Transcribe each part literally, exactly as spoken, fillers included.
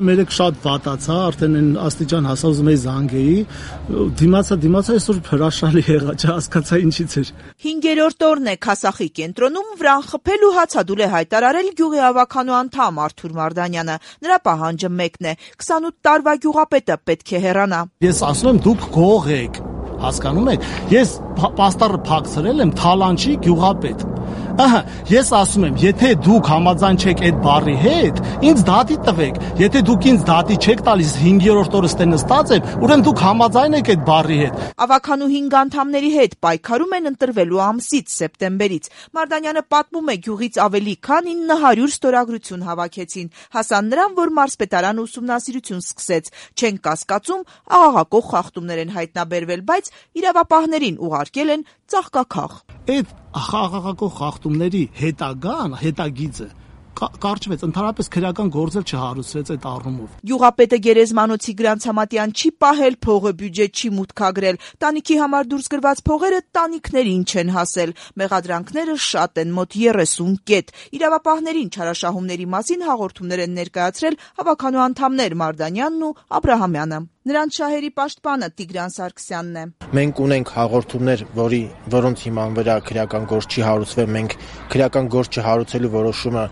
Մերեք շատ վատացա, արդեն այն աստիճան հասա ուզում էի զանգեի, դիմացա, դիմացա, այսօր հրաշալի եղա, չհասկացա ինչից էր։ Հինգերորդ օրն է Քասախի կենտրոնում վրան խփել ու հացադուլ է հայտարարել գյուղի ավականու անդամ Արթուր Մարդանյանը։ Նրա պահանջը մեկն է՝ քսանութ տարվա գյուղապետը պետք է հեռանա։ Ես ասում եմ, դուք գող եք, հասկանում եք, ես պաստառը փակցրել եմ Թալանչի գյուղապետ։ Ահա, ես ասում եմ, եթե դուք համաձայն չեք այդ բառի հետ, ինձ դատի տվեք։ Եթե դուք ինձ դատի չեք տալիս, հինգերորդ օրը ստե նստած եմ, ուրեմն դուք համաձայն եք այդ բառի հետ։ Ավականու հինգ անդամների հետ պայքարում են ընտրվելու ամսից սեպտեմբերից։ Մարդանյանը պատմում է, գյուղից ավելի քան ինը հարյուր ստորագրություն հավաքեցին, հասան նրան, որ մարզպետարանը ուսումնասիրություն սկսեց։ Չեն կասկածում, աղաղակող խախտումներ են հայտնաբերվել, բայց իրավապահներին ուղարկել են ծաղկաքաղ։ Այդ աղաղակող խախտումների հետագան, հետագիծը կարճվեց, ընդհանրապես քրեական գործ էլ չհարուցվեց այդ առումով։ Գյուղապետը Գերեզմանոցի Գրանցամատյան չի պահել փողը, բյուջետ չի մուտքագրել։ Տանիքի համար դուրս գրված փողերը տանիքներին չեն հասել։ Մեղադրանքները շատ են, մոտ երեսուն կետ։ Իրավապահներին չարաշահումների մասին հաղորդումներ են ներկայացրել հավաքանու անդամներ Մարդանյանն ու Աբրահամյանը։ Նրանց շահերի պաշտպանը Տիգրան Սարգսյանն է։ Մենք ունենք հաղորդումներ, որի որոնց հիման վրա քրեական գործ չի հարուցվել, մենք քրեական գործ չհարուցելու որոշումը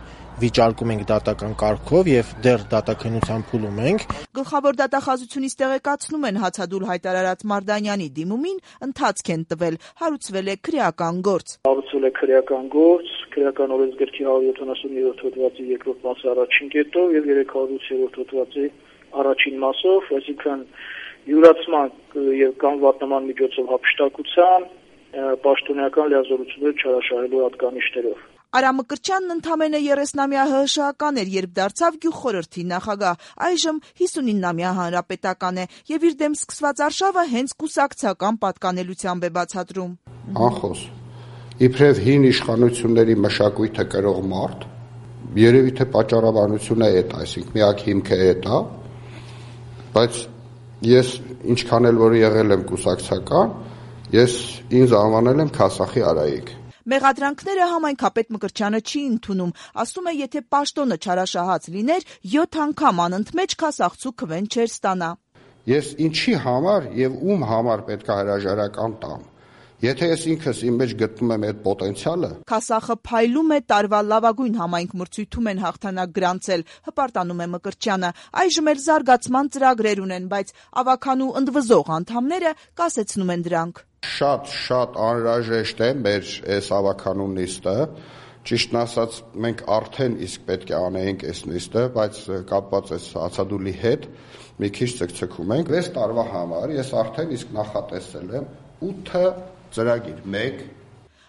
վիճարկում ենք դատական կարգով եւ դեռ դատաքննության փուլում ենք։ Գլխավոր դատախազությունից տեղեկացնում են հացադուլ հայտարարած Մարդանյանի դիմումին ընթացք են տվել, հարուցվել է քրեական գործ։ Հարուցվել է քրեական գործ, քրեական օրենսգրքի հարյուր յոթանասուններորդ հոդվածի երկրորդ մասի առաջին կետով եւ երեք հարյուր ութերորդ հոդվածի առաջին մասով, այսինքն յուրացման եւ կամ վատնման միջոցով հափշտակության, պաշտոնական լիազորությունները չարաշահելու հատկանիշներով։ Արամ Մկրտչյանն ընդամենը երեսնամյա ՀՀՇ-ական էր, երբ դարձավ գյուղխորհրդի նախագահ, այժմ հիսունինամյա հանրապետական է եւ իր դեմ սկսված արշավը հենց կուսակցական պատկանելությամբ է բացատրում։ Անխոս, իբրև հին իշխանությունների մշակույթը կրող մարդ, երևի թե պատճառաբանությունը այդ, այսինքն միակ հիմքը այդ է, բայց ես ինչքան էլ որ եղել եմ կուսակցական, ես ինձ անվանել եմ Քասախի Արայիկ։ Մեղադրանքները համայնքապետ Մկրտչյանը չի ընդունում, ասում է, եթե պաշտոնը չարաշահած լիներ, յոթ անգամ անընդմեջ քասախցու քվեն չէր ստանա։ Ես ինչի համար եւ ում համար պետք է հրաժարական տամ։ Եթե ես ինքս իմ մեջ գտնում եմ այդ պոտենցիալը։ Քասախը փայլում է, տարվա լավագույն համայնք մրցույթում են հաղթանակ գրանցել, հպարտանում է Մկրտչյանը։ Այժմ էլ զարգացման ծրագրեր ունեն, բայց ավականու ընդվզող անդամները կասեցնում են դրանք։ Շատ շատ անհրաժեշտ է մեր այս ավականու նիստը, ճիշտն ասած մենք արդեն իսկ պետք է անեինք այս նիստը, բայց կապված այս հացադուլի հետ մի քիչ ցկցկում ենք։ վեց տարվա համար ես արդեն իսկ նախատեսել եմ ութ ծրագիր, մեկ։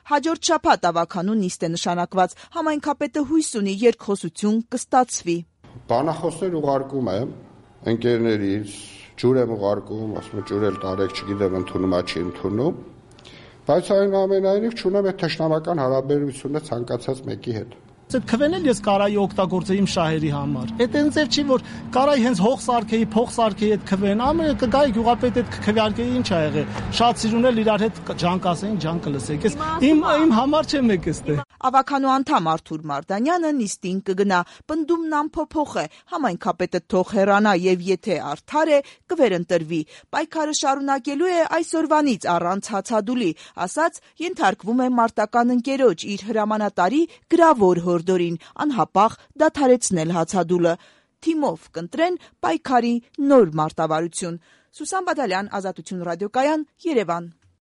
Հաջորդ շաբաթ ավականու նիստ է նշանակված, համայնքապետը հույս ունի երկխոսություն կստացվի։ Բանախոսներ ուղարկում եմ ընկերներից, ջուր եմ ուղարկում, ասում եմ ջուր էլ տարեք, չգիտեմ ընդունում, չի ընդունում, բայց այնուամենայնիվ չունեմ այդ թշնամական հարաբերությունը ցանկացած մեկի հետ։ Այդ քվեն էլ ես կարայի օգտագործեի իմ շահերի համար։ Այդ այնց էլ չի, որ կարայի հենց հող սարքեի, փող սարքեի այդ քվեն, ամենը կգայի գյուղապետ այդ քվեարկեի, ինչ ա եղել։ Շատ սիրուն էլ իրար հետ ջանք ասեին, ջանք լսեք։ Ես իմ իմ համար չեմ եք էստե։ Ավականու անդամ Արթուր Մարդանյանը նիստին կգնա, պնդումն անփոփոխ է, համայնքապետը թող հեռանա եւ եթե արդար է, կվերընտրվի։ Պայքարը շարունակելու է այսօրվանից առանց հացադուլի, ասաց ենթարկվում է մարտական ընկերոջ իր հրամանատարի գրավոր հորդորին անհապաղ դադարեցնել հացադուլը։ Թիմով կընտրեն պայքարի նոր մարտավարություն։ Սուսան Բադալյան, Ազատություն ռադիոկայան, Երևան։